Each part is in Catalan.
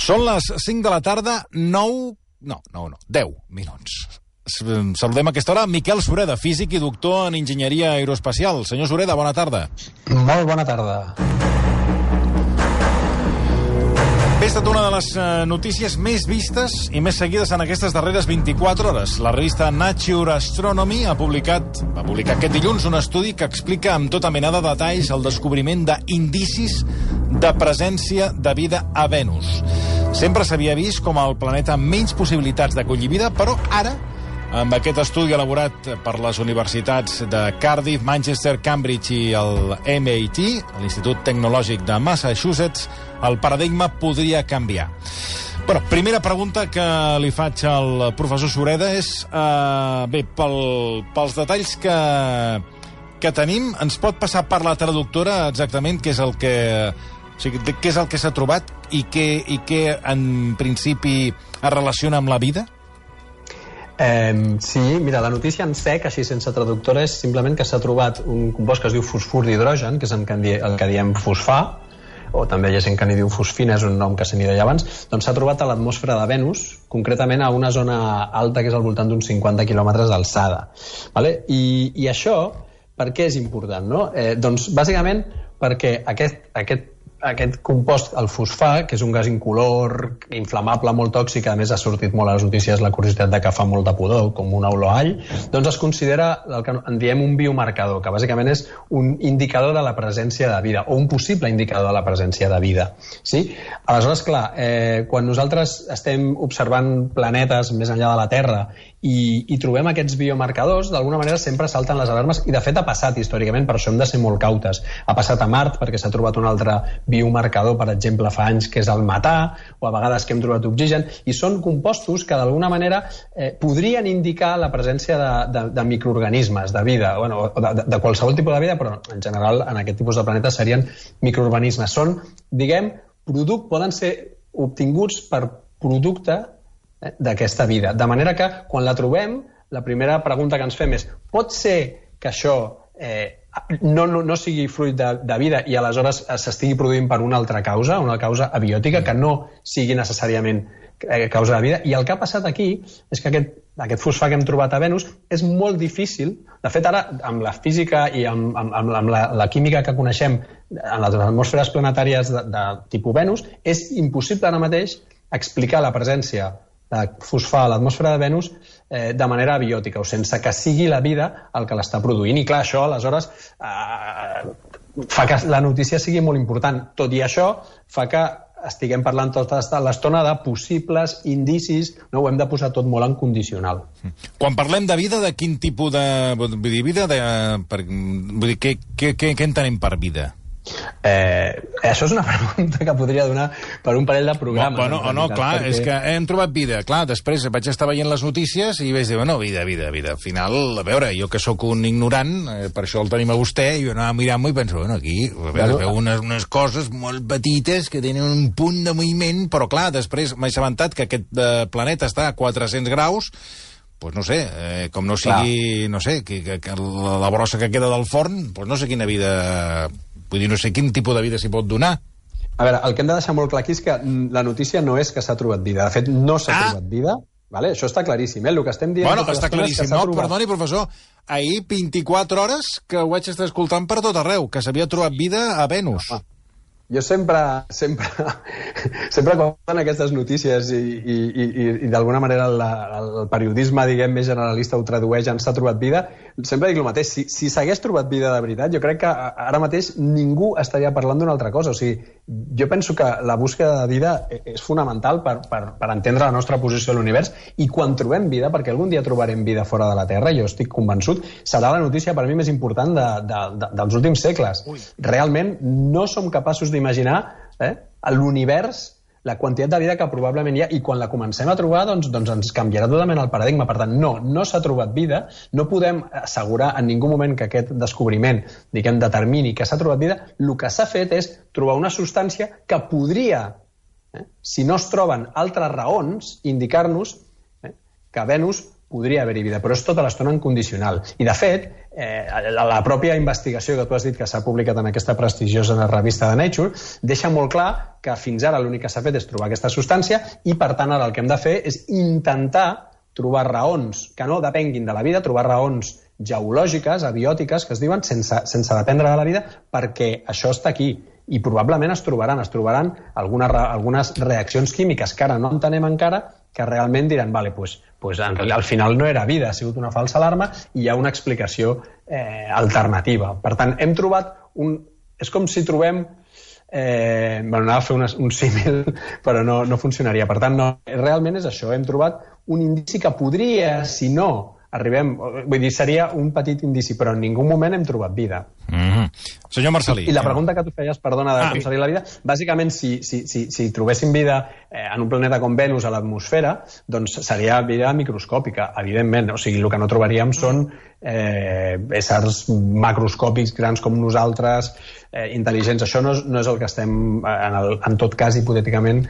Són les 5 de la tarda, 10 minuts. Saludem a aquesta hora Miquel Sureda, físic i doctor en enginyeria aeroespacial. Senyor Sureda, bona tarda. Molt bona tarda. Ha estat una de les notícies més vistes i més seguides en aquestes darreres 24 hores. La revista Nature Astronomy va publicar aquest dilluns un estudi que explica amb tota mena de detalls el descobriment d'indicis de presència de vida a Venus. Sempre s'havia vist com el planeta amb menys possibilitats d'acollir vida, però ara, amb aquest estudi elaborat per les universitats de Cardiff, Manchester, Cambridge i el MIT, l'Institut Tecnològic de Massachusetts, el paradigma podria canviar. Bueno, primera pregunta que li faig al professor Sureda és, pels detalls que tenim, ens pot passar per la traductora exactament què és el que s'ha trobat i què en principi es relaciona amb la vida? Sí, mira, la notícia en sec, així sense traductora, és simplement que s'ha trobat un compost que es diu fosfur d'hidrogen, que és el que diem fosfà, o també hi ha gent que n'hi diu fosfina, és un nom que se n'hi deia abans, doncs s'ha trobat a l'atmosfera de Venus, concretament a una zona alta que és al voltant d'uns 50 quilòmetres d'alçada. Vale? I això, per què és important? No? Doncs bàsicament perquè aquest compost, el fosfà, que és un gas incolor, inflamable, molt tòxic, a més ha sortit molt a les notícies la curiositat de que fa molt de pudor, com una olor a all, doncs es considera el que en diem un biomarcador, que bàsicament és un indicador de la presència de vida, o un possible indicador de la presència de vida. Sí? Aleshores, clar, quan nosaltres estem observant planetes més enllà de la Terra i trobem aquests biomarcadors, d'alguna manera sempre salten les alarmes, i de fet ha passat històricament, per això hem de ser molt cautes. Ha passat a Mart, perquè s'ha trobat un altre biomarcador, per exemple, fa anys, que és el metà, o a vegades que hem trobat oxigen, i són compostos que d'alguna manera podrien indicar la presència de microorganismes, de vida, bueno, de qualsevol tipus de vida, però en general en aquest tipus de planetes serien microorganismes. Són, diguem, poden ser obtinguts per producte d'aquesta vida. De manera que, quan la trobem, la primera pregunta que ens fem és: pot ser que això no sigui fruit de vida i aleshores s'estigui produint per una altra causa, una causa abiòtica, que no sigui necessàriament causa de vida? I el que ha passat aquí és que aquest fosfà que hem trobat a Venus és molt difícil. De fet, ara, amb la física i amb la química que coneixem en les atmosferes planetàries de tipus Venus, és impossible ara mateix explicar la presència de fosfà a l'atmosfera de Venus de manera abiòtica, o sense que sigui la vida el que l'està produint. I clar, això aleshores fa que la notícia sigui molt important. Tot i això, fa que estiguem parlant tota l'estona de possibles indicis, no? Ho hem de posar tot molt en condicional. Quan parlem de vida, de quin tipus de vida? Vull dir, què entenem per vida? Això és una pregunta que podria donar per un parell de programes. Clar, perquè és que hem trobat vida. Clar, després vaig estar veient les notícies i vaig dir, vida. Al final, a veure, jo que sóc un ignorant, per això el tenim a vostè, i jo anava mirant-m'ho i penso, aquí veu unes coses molt petites que tenen un punt de moviment, però clar, després m'he assabentat que aquest planeta està a 400 graus, doncs no sé, com no sigui, no sé, que la brossa que queda del forn, doncs no sé quina vida... Vull dir, no sé quin tipus de vida s'hi pot donar. A veure, el que hem de deixar molt clar aquí és que la notícia no és que s'ha trobat vida. De fet, no s'ha trobat vida. Vale? Això està claríssim. El que estem dient... Bueno, està claríssim. No, perdoni, professor. Ahir, 24 hores, que ho vaig estar escoltant per tot arreu, que s'havia trobat vida a Venus. Jo sempre quan fan aquestes notícies i d'alguna manera el periodisme, diguem, més generalista ho tradueix en s'ha trobat vida, sempre dic el mateix. Si s'hagués trobat vida de veritat, jo crec que ara mateix ningú estaria parlant d'una altra cosa. O sigui, jo penso que la búsqueda de vida és fonamental per entendre la nostra posició a l'univers, i quan trobem vida, perquè algun dia trobarem vida fora de la Terra, jo estic convençut, serà la notícia per mi més important dels últims segles. Realment no som capaços d'imaginar a l'univers la quantitat de vida que probablement hi ha, i quan la comencem a trobar doncs ens canviarà totalment el paradigma. Per tant, no s'ha trobat vida, no podem assegurar en ningú moment que aquest descobriment, diguem, determini que s'ha trobat vida. El que s'ha fet és trobar una substància que podria, si no es troben altres raons, indicar-nos que Venus podria haver-hi vida, però és tota l'estona en condicional. I, de fet, la pròpia investigació que tu has dit que s'ha publicat en aquesta prestigiosa revista de Nature deixa molt clar que fins ara l'únic que s'ha fet és trobar aquesta substància i, per tant, ara el que hem de fer és intentar trobar raons que no depenguin de la vida, trobar raons geològiques, abiòtiques, que es diuen, sense dependre de la vida, perquè això està aquí. I probablement es trobaran algunes reaccions químiques que ara no entenem encara, que realment diran, vale, pues al final no era vida, ha sigut una falsa alarma i hi ha una explicació alternativa. Per tant, hem trobat és com si trobem... anava a fer un símil, però no funcionaria. Per tant, realment és això. Hem trobat un indici que podria, si no vull dir, seria un petit indici, però en ningú moment hem trobat vida. Senyor Marcel·lí. I la pregunta que tu feies, perdona, de com seria la vida, bàsicament, si trobéssim vida en un planeta com Venus a l'atmosfera, doncs seria vida microscòpica, evidentment. O sigui, el que no trobaríem són éssers macroscòpics grans com nosaltres, intel·ligents. Això no és el que estem, en tot cas, hipotèticament,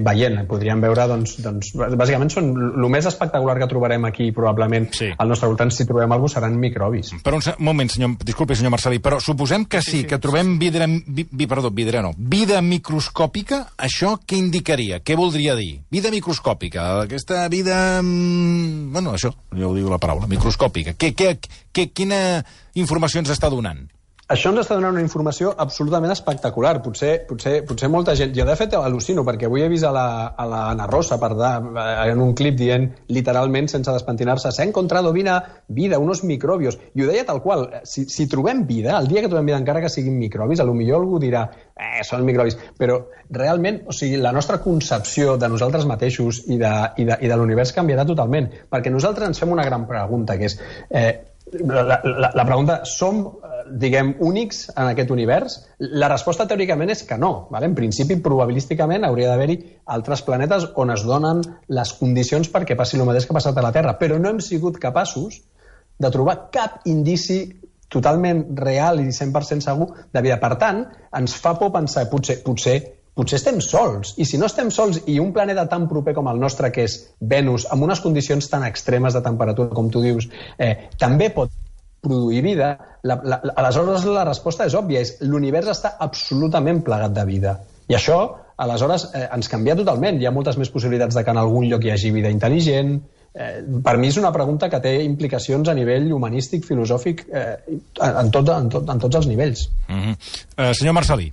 veient. Podríem veure, doncs, bàsicament són el més espectacular que trobarem aquí, probablement, al nostre voltant, si trobem alguna cosa, seran microbis. Per un moment, disculpi, senyor Marcel·lí, però suposem que sí, que trobem vida microscòpica, això què indicaria? Què voldria dir? Vida microscòpica, aquesta vida... Bueno, això, ja ho diu la paraula, microscòpica. Quina informació ens està donant? Això ens està donant una informació absolutament espectacular. Potser molta gent... Jo, de fet, al·lucino, perquè avui he vist a la Ana Rosa en un clip dient, literalment, sense despentinar-se, s'ha encontrado vida, unos microbios. I ho deia tal qual. Si trobem vida, el dia que trobem vida, encara que siguin microbis, potser algú dirà, són microbis. Però, realment, o sigui, la nostra concepció de nosaltres mateixos i de l'univers canviarà totalment. Perquè nosaltres ens fem una gran pregunta, que és... La pregunta, som, diguem, únics en aquest univers? La resposta teòricament és que no. En principi, probabilísticament, hauria d'haver-hi altres planetes on es donen les condicions perquè passi el mateix que ha passat a la Terra, però no hem sigut capaços de trobar cap indici totalment real i 100% segur de vida. Per tant, ens fa por pensar, potser estem sols, i si no estem sols i un planeta tan proper com el nostre, que és Venus, amb unes condicions tan extremes de temperatura, com tu dius, també pot produir vida, aleshores la resposta és òbvia, l'univers està absolutament plagat de vida. I això, aleshores, ens canvia totalment. Hi ha moltes més possibilitats de que en algun lloc hi hagi vida intel·ligent. Per mi és una pregunta que té implicacions a nivell humanístic, filosòfic, en tots els nivells. Senyor Marcel·lí.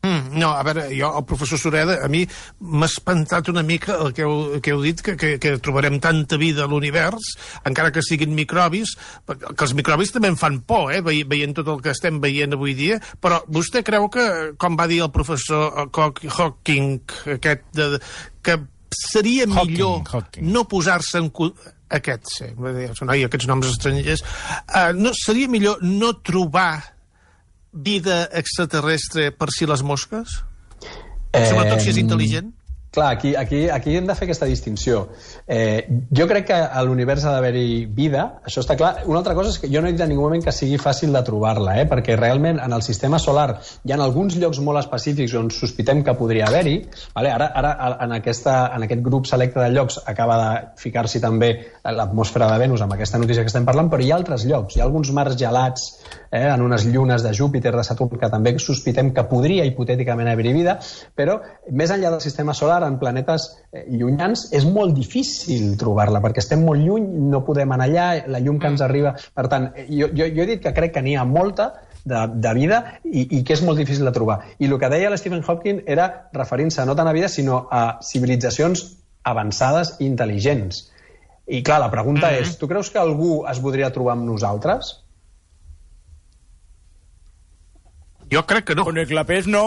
No, a veure, jo, el professor Sureda, a mi m'ha espantat una mica el que heu dit, que trobarem tanta vida a l'univers, encara que siguin microbis, que els microbis també em fan por, veient tot el que estem veient avui dia, però vostè creu que, com va dir el professor Hawking, que seria millor no posar-se en... Aquests noms estrangers, seria millor no trobar vida extraterrestre per si les mosques? Sobretot si és intel·ligent? Clar, aquí hem de fer aquesta distinció. Jo crec que a l'univers ha d'haver-hi vida, això està clar. Una altra cosa és que jo no he dit en ningú moment que sigui fàcil de trobar-la, perquè realment en el sistema solar hi ha alguns llocs molt específics on sospitem que podria haver-hi. Ara en aquest grup selecte de llocs acaba de ficar-s'hi també l'atmosfera de Venus amb aquesta notícia que estem parlant, però hi ha altres llocs, hi ha alguns mars gelats en unes llunes de Júpiter, de Saturn, que també sospitem que podria hipotèticament haver-hi vida, però més enllà del sistema solar, en planetes llunyans, és molt difícil trobar-la, perquè estem molt lluny, no podem anar allà, la llum que ens arriba... Per tant, jo he dit que crec que n'hi ha molta de vida i que és molt difícil de trobar. I el que deia l'Stephen Hawking era referint-se no tant a vida, sinó a civilitzacions avançades i intel·ligents. I clar, la pregunta és, tu creus que algú es voldria trobar amb nosaltres? Jo crec que no. Con el clapés no.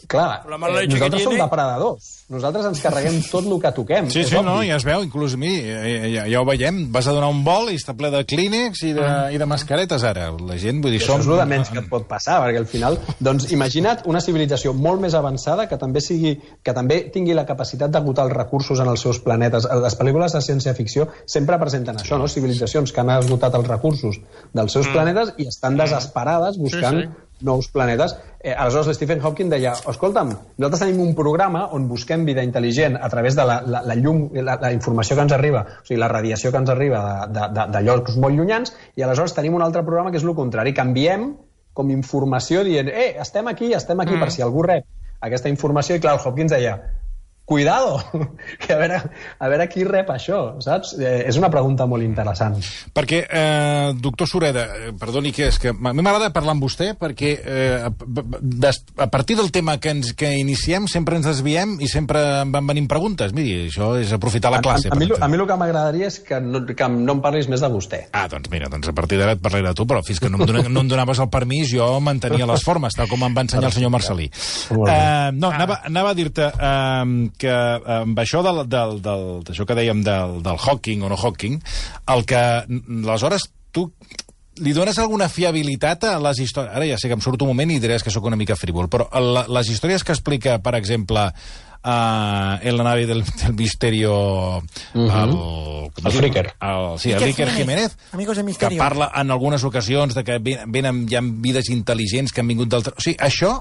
Clar, nosaltres som depredadors. Nosaltres ens carreguem tot el que toquem. Sí, no, ja es veu, inclús a mi, ja ho veiem. Vas a donar un vol i està ple de clínex i de mascaretes, ara. La gent, vull dir, som... Això és el menys que et pot passar, perquè al final... Doncs imagina't una civilització molt més avançada que també tingui la capacitat d'agotar els recursos en els seus planetes. Les pel·lícules de ciència-ficció sempre presenten això, no? Civilitzacions que han esgotat els recursos dels seus planetes i estan desesperades buscant nous planetes. Aleshores, l'Stephen Hawking deia, escolta'm, nosaltres tenim un programa on busquem vida intel·ligent a través de la llum, la informació que ens arriba, o sigui, la radiació que ens arriba de llocs molt llunyans, i aleshores tenim un altre programa que és el contrari, que enviem com informació dient, estem aquí, per si algú rep aquesta informació, i clar, el Hopkins deia, cuidado, que a veure qui rep això, saps? És una pregunta molt interessant. Perquè, doctor Sureda, perdoni, que és que a mi m'agrada parlar amb vostè perquè a partir del tema que iniciem sempre ens desviem i sempre em van venint preguntes. Miri, això és aprofitar la classe. A mi el que m'agradaria és que no em parlis més de vostè. Doncs mira, a partir d'ara et parlaré de tu, però fins que no em donaves el permís jo mantenia les formes, tal com em va ensenyar el senyor Marcelí. No, anava a dir-te que amb això d'això que dèiem del Hawking o no Hawking, el que aleshores tu li dones alguna fiabilitat a les històries... Ara ja sé que em surt un moment i diràs que sóc una mica frívol, però les històries que explica, per exemple, en la nave del Misterio... El Fricker. Sí, el Iker Jiménez, que parla en algunes ocasions de que venen ja vides intel·ligents que han vingut d'altres... O sigui, això,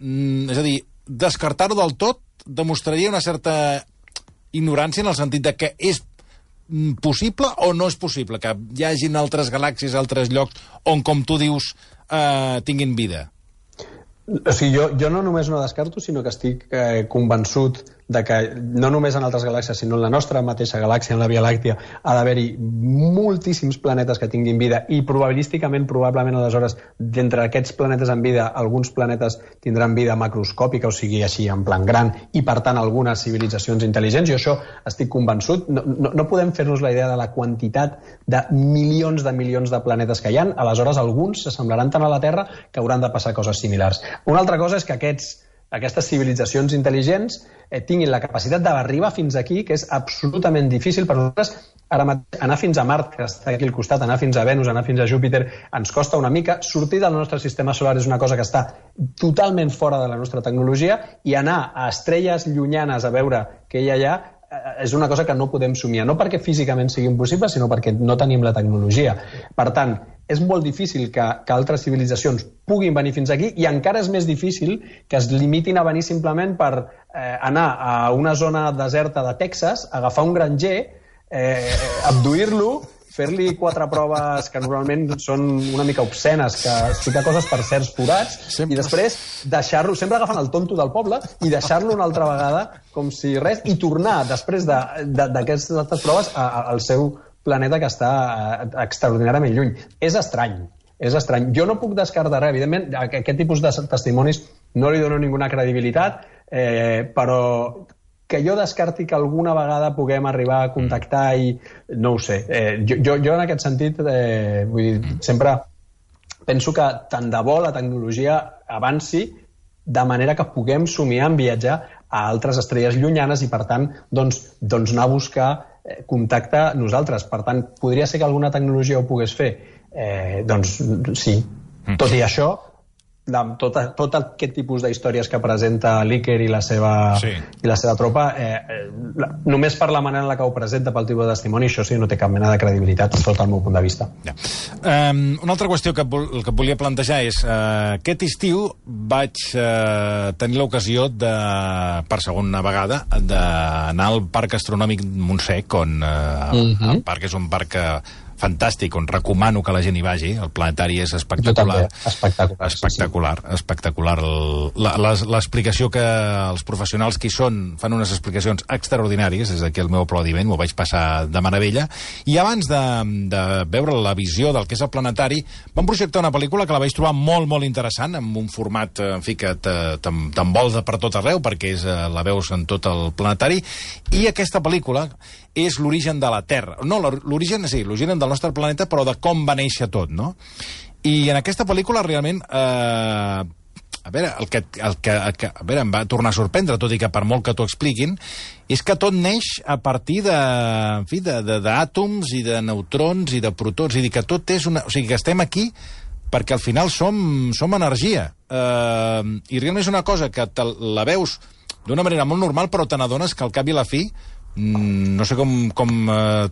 és a dir, descartar-ho del tot demostraria una certa ignorància en el sentit de que és possible o no és possible que hi hagin altres galàxies, altres llocs on, com tu dius, tinguin vida. O sigui, jo no només no descarto, sinó que estic convençut de que no només en altres galàxies, sinó en la nostra mateixa galàxia, en la Via Làctia, ha d'haver-hi moltíssims planetes que tinguin vida i probablement, aleshores, d'entre aquests planetes amb vida, alguns planetes tindran vida macroscòpica, o sigui, així, en plan gran, i, per tant, algunes civilitzacions intel·ligents. Jo això estic convençut. No podem fer-nos la idea de la quantitat de milions de planetes que hi ha. Aleshores, alguns s'assemblaran tant a la Terra que hauran de passar coses similars. Una altra cosa és que aquestes civilitzacions intel·ligents tinguin la capacitat d'arribar fins aquí, que és absolutament difícil per nosaltres. Ara mateix, anar fins a Mart, que està aquí al costat, anar fins a Venus, anar fins a Júpiter, ens costa una mica. Sortir del nostre sistema solar és una cosa que està totalment fora de la nostra tecnologia, i anar a estrelles llunyanes a veure què hi ha allà és una cosa que no podem somiar, no perquè físicament sigui impossible, sinó perquè no tenim la tecnologia. Per tant, és molt difícil que altres civilitzacions puguin venir fins aquí, i encara és més difícil que es limitin a venir simplement per anar a una zona deserta de Texas, agafar un granger, abduir-lo, fer-li 4 proves que normalment són una mica obscenes, que fica coses per certs forats, i després deixar-lo, sempre agafant el tonto del poble, i deixar-lo una altra vegada com si res, i tornar després d'aquestes altres proves al seu planeta, que està extraordinàriament lluny. És estrany. Jo no puc descartar res. Evidentment, a aquest tipus de testimonis no li dono ninguna credibilitat, però que jo descarti que alguna vegada puguem arribar a contactar i... no ho sé. Jo en aquest sentit, vull dir, sempre penso que tant de bo la tecnologia avanci de manera que puguem somiar en viatjar a altres estrelles llunyanes i, per tant, doncs anar a buscar contacte nosaltres. Per tant, podria ser que alguna tecnologia ho pogués fer? Doncs sí. Tot i això, tot aquest tipus d'històries que presenta l'Iker i la seva tropa, només per la manera en la que ho presenta, pel tipus de testimoni, això sí, no té cap mena de credibilitat, sota el meu punt de vista. Una altra qüestió que volia plantejar és aquest estiu vaig tenir l'ocasió per segona vegada d'anar al Parc Astronòmic Montsec, on el parc és un parc fantàstic, on recomano que la gent hi vagi. El planetari és espectacular. Espectacular. L'explicació que els professionals que hi són fan unes explicacions extraordinàries, des d'aquí el meu aplaudiment, m'ho vaig passar de meravella. I abans de veure la visió del que és el planetari, vam projectar una pel·lícula que la vaig trobar molt, molt interessant, amb un format, en fi, que t'envolta per tot arreu, perquè la veus en tot el planetari, i aquesta pel·lícula és l'origen de la Terra. No, l'origen del nostre planeta, però de com va néixer tot, no? I en aquesta pel·lícula, realment, a veure, em va tornar a sorprendre, tot i que per molt que t'ho expliquin, és que tot neix a partir d'àtoms i de neutrons i de protons, i que tot és una... O sigui, que estem aquí perquè al final som energia. I realment és una cosa que la veus d'una manera molt normal, però te n'adones que al cap i a la fi no sé com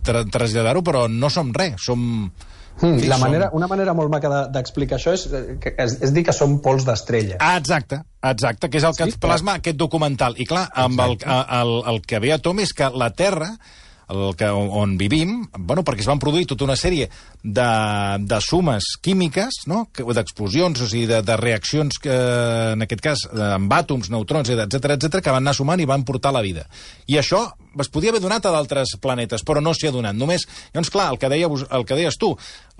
traslladar-ho, però no som res, som Una manera molt maca d'explicar això és dir que són pols d'estrella. Exacte, que és el que plasma aquest documental. I clar, amb el que ve a tom és que la Terra, on vivim, perquè es van produir tota una sèrie de sumes químiques, no? D'explosions, o sigui, de reaccions, en aquest cas, amb àtoms, neutrons, etc, que van anar sumant i van portar la vida. I això es podia haver donat a d'altres planetes, però no s'hi ha donat. Només, llavors, clar, el que deies tu,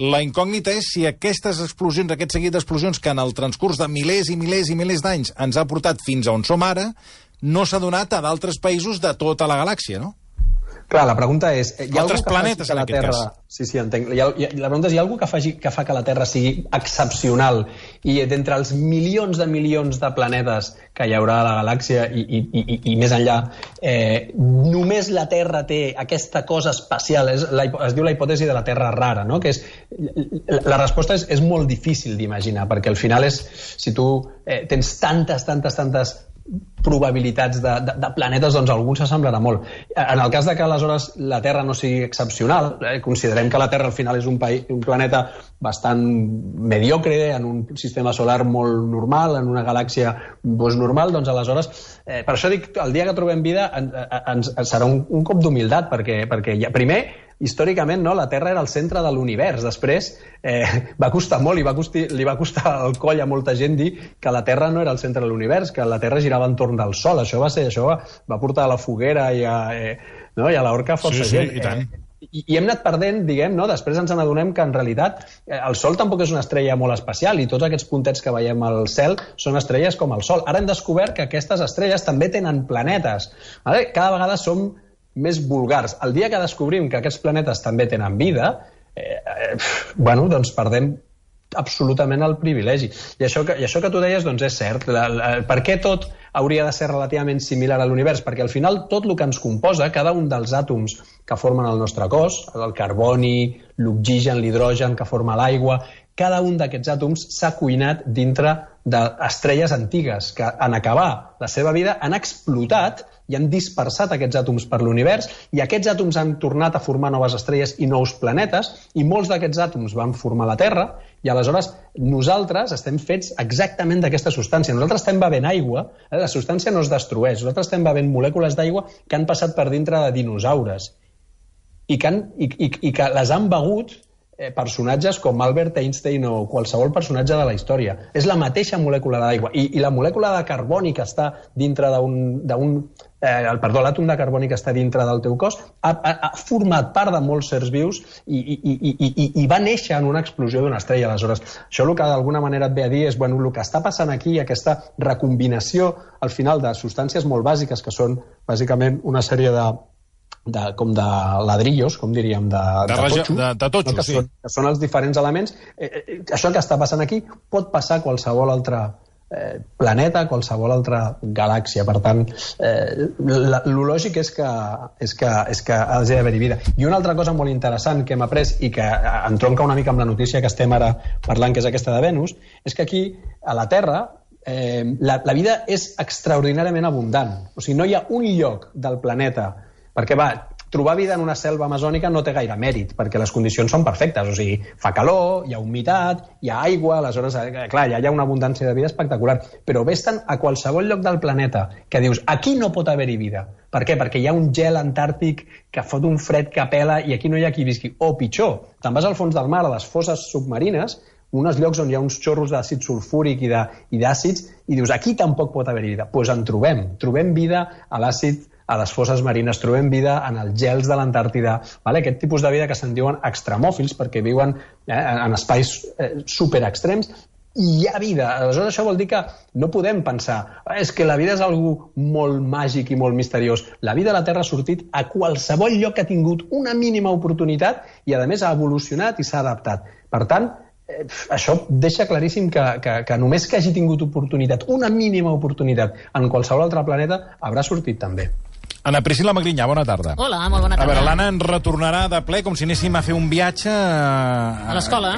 la incògnita és si aquestes explosions, aquest seguit d'explosions que en el transcurs de milers i milers i milers d'anys ens ha portat fins a on som ara, no s'ha donat a d'altres països de tota la galàxia, no? Clar, la pregunta és... Altres planetes, en aquest cas. Sí, entenc. La pregunta és, hi ha algú que fa que la Terra sigui excepcional i d'entre els milions de planetes que hi haurà a la galàxia i més enllà, només la Terra té aquesta cosa especial, es diu la hipòtesi de la Terra rara, no? Que és, la resposta és molt difícil d'imaginar, perquè al final és, si tu tens tantes probabilitats de planetes, doncs algun s'assemblarà molt. En el cas de que aleshores la Terra no sigui excepcional, considerem que la Terra al final és un planeta bastant mediocre, en un sistema solar molt normal, en una galàxia normal, doncs aleshores, per això dic, el dia que trobem vida serà un cop d'humilitat, perquè primer, històricament, no, la Terra era el centre de l'univers. Després va costar molt i li va costar el coll a molta gent dir que la Terra no era el centre de l'univers, que la Terra girava entorn del Sol. Això va portar a la foguera i a l'horca força gent. I tant. I hem anat perdent, diguem, no? Després ens n'adonem que en realitat el Sol tampoc és una estrella molt especial i tots aquests puntets que veiem al cel són estrelles com el Sol. Ara hem descobert que aquestes estrelles també tenen planetes. Cada vegada som més vulgars. El dia que descobrim que aquests planetes també tenen vida, doncs perdem absolutament el privilegi. I això que tu deies, doncs és cert. Per què tot hauria de ser relativament similar a l'univers? Perquè al final tot el que ens composa, cada un dels àtoms que formen el nostre cos, el carboni, l'oxigen, l'hidrogen que forma l'aigua, cada un d'aquests àtoms s'ha cuinat dintre d'estrelles antigues que en acabar la seva vida han explotat i han dispersat aquests àtoms per l'univers i aquests àtoms han tornat a formar noves estrelles i nous planetes i molts d'aquests àtoms van formar la Terra i aleshores nosaltres estem fets exactament d'aquesta substància. Nosaltres estem bevent aigua, la substància no es destrueix, nosaltres estem bevent molècules d'aigua que han passat per dintre de dinosaures i que les han begut personatges com Albert Einstein o qualsevol personatge de la història. És la mateixa molècula d'aigua. I la molècula de carboni que està dintre l'àtom de carboni que està dintre del teu cos ha format part de molts sers vius i va néixer en una explosió d'una estrella. Aleshores, això el que d'alguna manera et ve a dir és el que està passant aquí, aquesta recombinació al final de substàncies molt bàsiques que són bàsicament una sèrie com de ladrillos, com diríem, de totxo, sí. Que són els diferents elements. Això que està passant aquí pot passar a qualsevol altre planeta, a qualsevol altra galàxia. Per tant, el lògic és que hagi d'haver-hi vida. I una altra cosa molt interessant que hem après i que entronca una mica amb la notícia que estem ara parlant, que és aquesta de Venus, és que aquí, a la Terra, la vida és extraordinàriament abundant. O sigui, no hi ha un lloc del planeta perquè trobar vida en una selva amazònica no té gaire mèrit, perquè les condicions són perfectes, o sigui, fa calor, hi ha humitat, hi ha aigua, aleshores, clar, hi ha una abundància de vida espectacular, però vés-te'n a qualsevol lloc del planeta que dius, aquí no pot haver-hi vida. Per què? Perquè hi ha un gel antàrtic que fot un fred que pela i aquí no hi ha qui visqui. O pitjor, te'n vas al fons del mar, a les fosses submarines, uns llocs on hi ha uns xorros d'àcid sulfúric i d'àcids, i dius, aquí tampoc pot haver-hi vida. Doncs en trobem vida a l'àcid, a les fosses marines, trobem vida en els gels de l'Antàrtida, aquest tipus de vida que se'n diuen extremòfils, perquè viuen en espais superextrems, i hi ha vida. Aleshores, això vol dir que no podem pensar és que la vida és algo molt màgic i molt misteriós. La vida a la Terra ha sortit a qualsevol lloc que ha tingut una mínima oportunitat i, a més, ha evolucionat i s'ha adaptat. Per tant, això deixa claríssim que només que hagi tingut oportunitat, una mínima oportunitat, en qualsevol altre planeta, haurà sortit també. Ana Priscila Magrinyà, bona tarda. Hola, molt bona tarda. A veure, l'Anna en retornarà de ple com si anéssim a fer un viatge... A l'escola.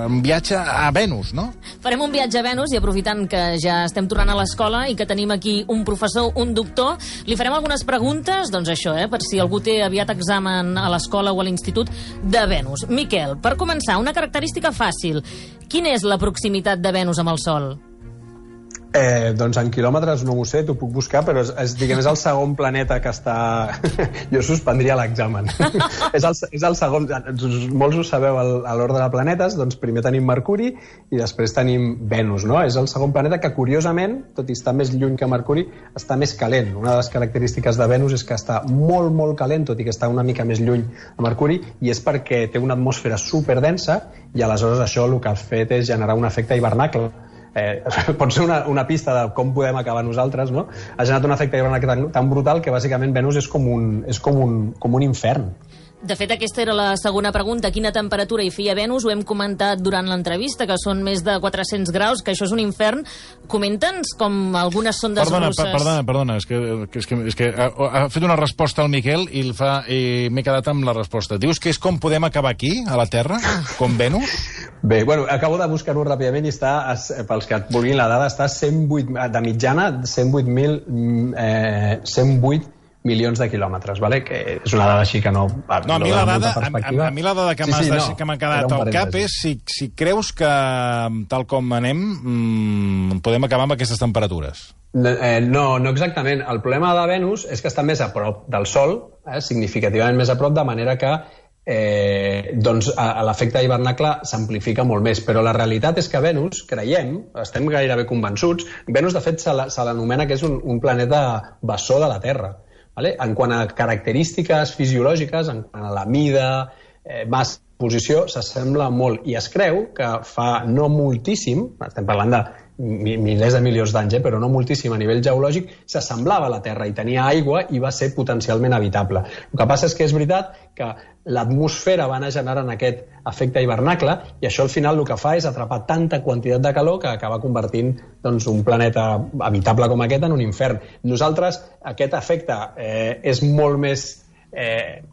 Un viatge a Venus, no? Farem un viatge a Venus i aprofitant que ja estem tornant a l'escola i que tenim aquí un professor, un doctor, li farem algunes preguntes, doncs això, per si algú té aviat examen a l'escola o a l'institut de Venus. Miquel, per començar, una característica fàcil. Quina és la proximitat de Venus amb el Sol? Doncs en quilòmetres no ho sé, t'ho puc buscar, però és el segon planeta que està... Jo suspendria l'examen. és el segon... Molts ho sabeu a l'ordre de planetes, doncs primer tenim Mercuri i després tenim Venus, no? És el segon planeta que, curiosament, tot i estar més lluny que Mercuri, està més calent. Una de les característiques de Venus és que està molt, molt calent, tot i que està una mica més lluny a Mercuri, i és perquè té una atmosfera superdensa i aleshores això el que ha fet és generar un efecte hivernacle. Pot ser una pista de com podem acabar nosaltres, no? Ha generat un efecte hivernacle tan brutal que bàsicament Venus és com un infern. De fet, aquesta era la segona pregunta. Quina temperatura hi feia Venus? Ho hem comentat durant l'entrevista, que són més de 400 graus, que això és un infern. Comenta'ns com algunes sondes russes... Perdona, és que ha fet una resposta al Miquel i m'he quedat amb la resposta. Dius que és com podem acabar aquí, a la Terra, com Venus? Bé, bueno, acabo de buscar-ho ràpidament i està, pels que et vulguin la dada, està 108, de mitjana, 108 milions de quilòmetres, vale? Que és una dada així que no... No, a mi la dada que m'ha quedat al cap és si creus que, tal com anem, podem acabar amb aquestes temperatures. No exactament. El problema de Venus és que està més a prop del Sol, significativament més a prop, de manera que l'efecte hivernacle s'amplifica molt més, però la realitat és que Venus, creiem, estem gairebé convençuts, Venus de fet se l'anomena que és un planeta bessó de la Terra. En quant a característiques fisiològiques, en quant a la mida, massa, posició, s'assembla molt, i es creu que fa no moltíssim, estem parlant de milers de milions d'anys, però no moltíssim a nivell geològic, s'assemblava a la Terra i tenia aigua i va ser potencialment habitable. El que passa és que és veritat que l'atmosfera va anar generant aquest efecte hivernacle i això al final el que fa és atrapar tanta quantitat de calor que acaba convertint un planeta habitable com aquest en un infern. Nosaltres, aquest efecte és molt més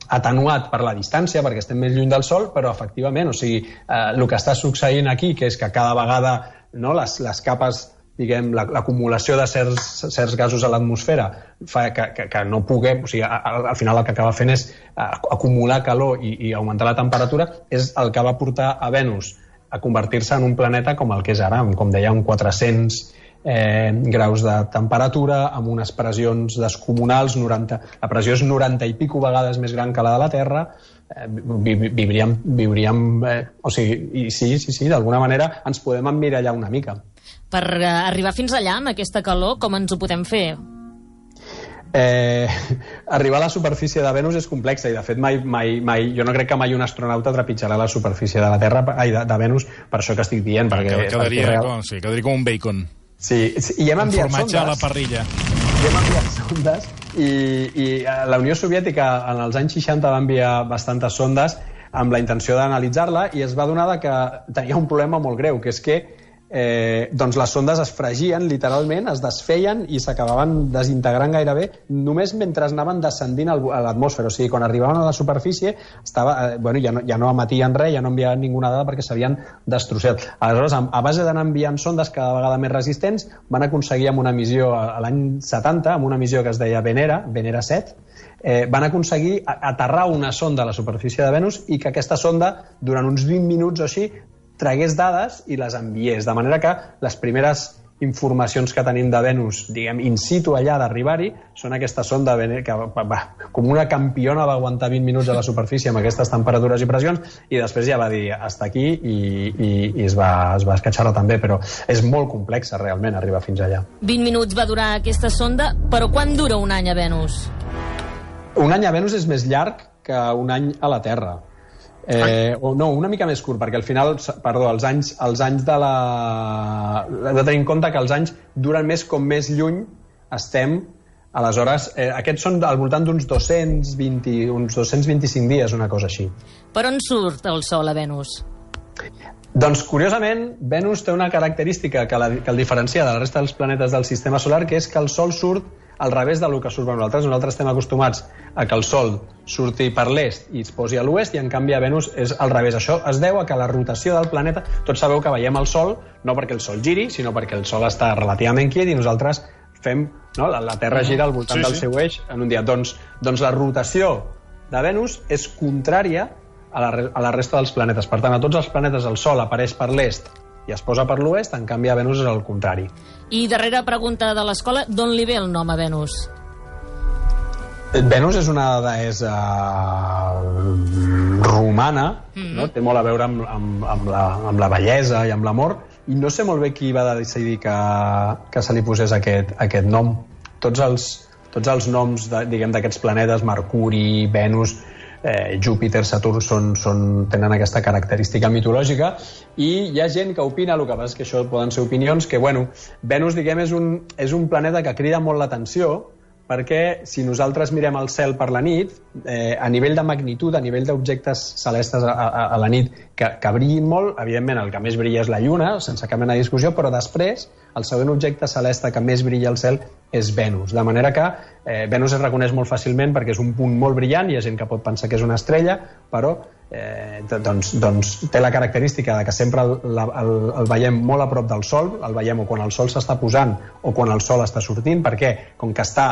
atenuat per la distància, perquè estem més lluny del Sol, però efectivament, el que està succeint aquí, que és que cada vegada les capes, diguem, l'acumulació de certs gasos a l'atmosfera fa que no puguem, al final el que acaba fent és acumular calor i augmentar la temperatura, és el que va portar a Venus a convertir-se en un planeta com el que és ara, com deia, amb 400 graus de temperatura, amb unes pressions descomunals, la pressió és 90 i pico vegades més gran que la de la Terra, viuríem sí, d'alguna manera ens podem emmirallar una mica. Per arribar fins allà, amb aquesta calor, com ens ho podem fer? Arribar a la superfície de Venus és complexa i de fet mai jo no crec que mai un astronauta trepitjarà la superfície de la Terra, de Venus, per això que estic dient, perquè quedaria com un bacon. Sí, i hem enviat sondes. Formatge a la parrilla. I hem enviat sondes i la Unió Soviètica en els anys 60 va enviar bastantes sondes amb la intenció d'analitzar-la i es va adonar que tenia un problema molt greu, que és que les sondes es fregien literalment, es desfeien i s'acabaven desintegrant gairebé només mentre anaven descendint a l'atmosfera. O sigui, quan arribaven a la superfície ja no emetien res, ja no enviaven ninguna dada perquè s'havien destrossat. Aleshores, a base d'anar enviant sondes cada vegada més resistents, van aconseguir amb una missió a l'any 70, amb una missió que es deia Venera 7, van aconseguir aterrar una sonda a la superfície de Venus i que aquesta sonda, durant uns 20 minuts o així, tragués dades i les enviés, de manera que les primeres informacions que tenim de Venus, diguem, in situ allà d'arribar-hi, són aquesta sonda que com una campiona va aguantar 20 minuts a la superfície amb aquestes temperatures i pressions i després ja va dir hasta aquí i es va escatxar-la també, però és molt complexa realment arribar fins allà. 20 minuts va durar aquesta sonda, però quan dura un any a Venus? Un any a Venus és més llarg que un any a la Terra. No, una mica més curt, perquè al final, els anys de la... Hem de tenir en compte que els anys duren més com més lluny estem. Aleshores, aquests són al voltant d'uns 225 dies, una cosa així. Per on surt el Sol a Venus? Doncs, curiosament, Venus té una característica que el diferencia de la resta dels planetes del sistema solar, que és que el Sol surt al revés del que surt per nosaltres. Nosaltres estem acostumats a que el Sol surti per l'est i es posi a l'oest, i en canvi a Venus és al revés. Això es deu a que la rotació del planeta... Tots sabeu que veiem el Sol no perquè el Sol giri, sinó perquè el Sol està relativament quiet i nosaltres fem... No? La Terra gira al voltant del seu eix en un dia. Doncs la rotació de Venus és contrària a la resta dels planetes. Per tant, a tots els planetes el Sol apareix per l'est i es posa per l'oest, en canvi a Venus és el contrari. I darrera pregunta de l'escola, d'on li ve el nom a Venus? Venus és una deessa romana, no? Té molt a veure amb la bellesa i amb l'amor, i no sé molt bé qui va decidir que se li posés aquest nom. Tots els noms d'aquests planetes, Mercuri, Venus, Júpiter, Saturn, tenen aquesta característica mitològica, i hi ha gent que opina, el que passa és que això poden ser opinions, que Venus, diguem, és un planeta que crida molt l'atenció, perquè si nosaltres mirem el cel per la nit, a nivell de magnitud, a nivell d'objectes celestes a la nit que brillin molt, evidentment el que més brilla és la Lluna, sense cap mena de discussió, però després el següent objecte celeste que més brilla al cel és Venus. De manera que Venus es reconeix molt fàcilment perquè és un punt molt brillant, hi ha gent que pot pensar que és una estrella, però té la característica de que sempre el veiem molt a prop del Sol, el veiem o quan el Sol s'està posant o quan el Sol està sortint, perquè com que està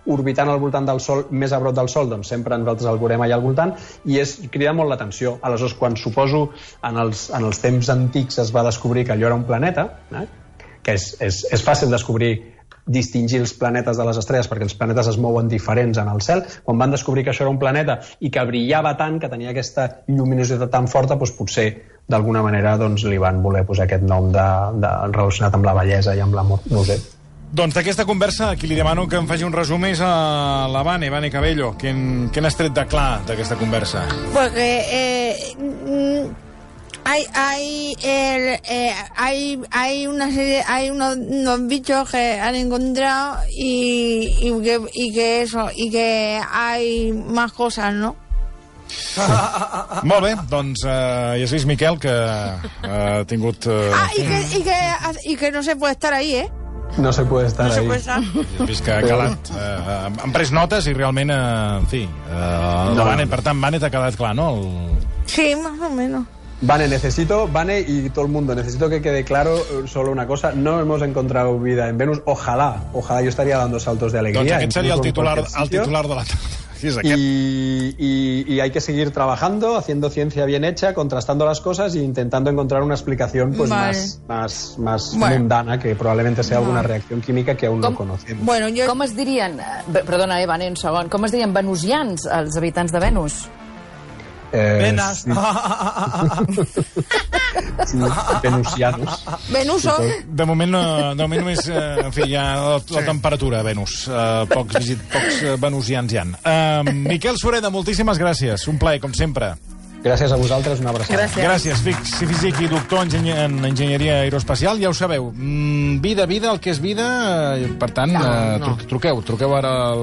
orbitant al voltant del Sol, més a prop del Sol, doncs sempre nosaltres el veurem allà al voltant, i crida molt l'atenció. Aleshores, quan suposo en els temps antics es va descobrir que allò era un planeta, que és fàcil distingir els planetes de les estrelles perquè els planetes es mouen diferents en el cel, quan van descobrir que això era un planeta i que brillava tant, que tenia aquesta lluminositat tan forta, doncs potser d'alguna manera li van voler posar aquest nom relacionat amb la bellesa i amb l'amor, no ho sé. Doncs d'aquesta conversa, aquí li demano que em faci un resum és a la Vane Cabello. Què n'has tret de clar d'aquesta conversa? Porque hay una serie, hay unos bichos que han encontrado y que hay más cosas, ¿no? Molt bé, doncs ja has vist, Miquel, que ha tingut... y que no se puede estar ahí, ¿eh? No se puede estar ahí. Has vist que ha calat. Han pres notes i realment, en fi... Per tant, Vane, t'ha quedat clar, no? Sí, más o menos. Vane y todo el mundo, necesito que quede claro solo una cosa: no hemos encontrado vida en Venus. Ojalá yo estaría dando saltos de alegría. Doncs aquest seria el titular de la tarda. Y hay que seguir trabajando, haciendo ciencia bien hecha, contrastando las cosas e intentando encontrar una explicación más mundana, que probablemente sea alguna reacción química que aún no conocemos. Bueno, com es dirien, perdona, Vane, un segon, com es dirien venusians, els habitants de Venus? Venas. Sí, venusianos. Venuso. De moment només, en fi, hi ha la temperatura a Venus. Pocs venusians hi ha. Miquel Sureda, moltíssimes gràcies. Un plaer, com sempre. Gràcies a vosaltres, una abraçada. Gràcies, físic i doctor en enginyeria aeroespacial. Ja ho sabeu, vida, el que és vida, per tant, truqueu ara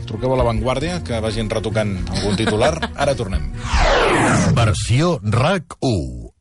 truqueu a l'Avantguàrdia, que vagin retocant algun titular. Ara tornem. Versió RAC 1.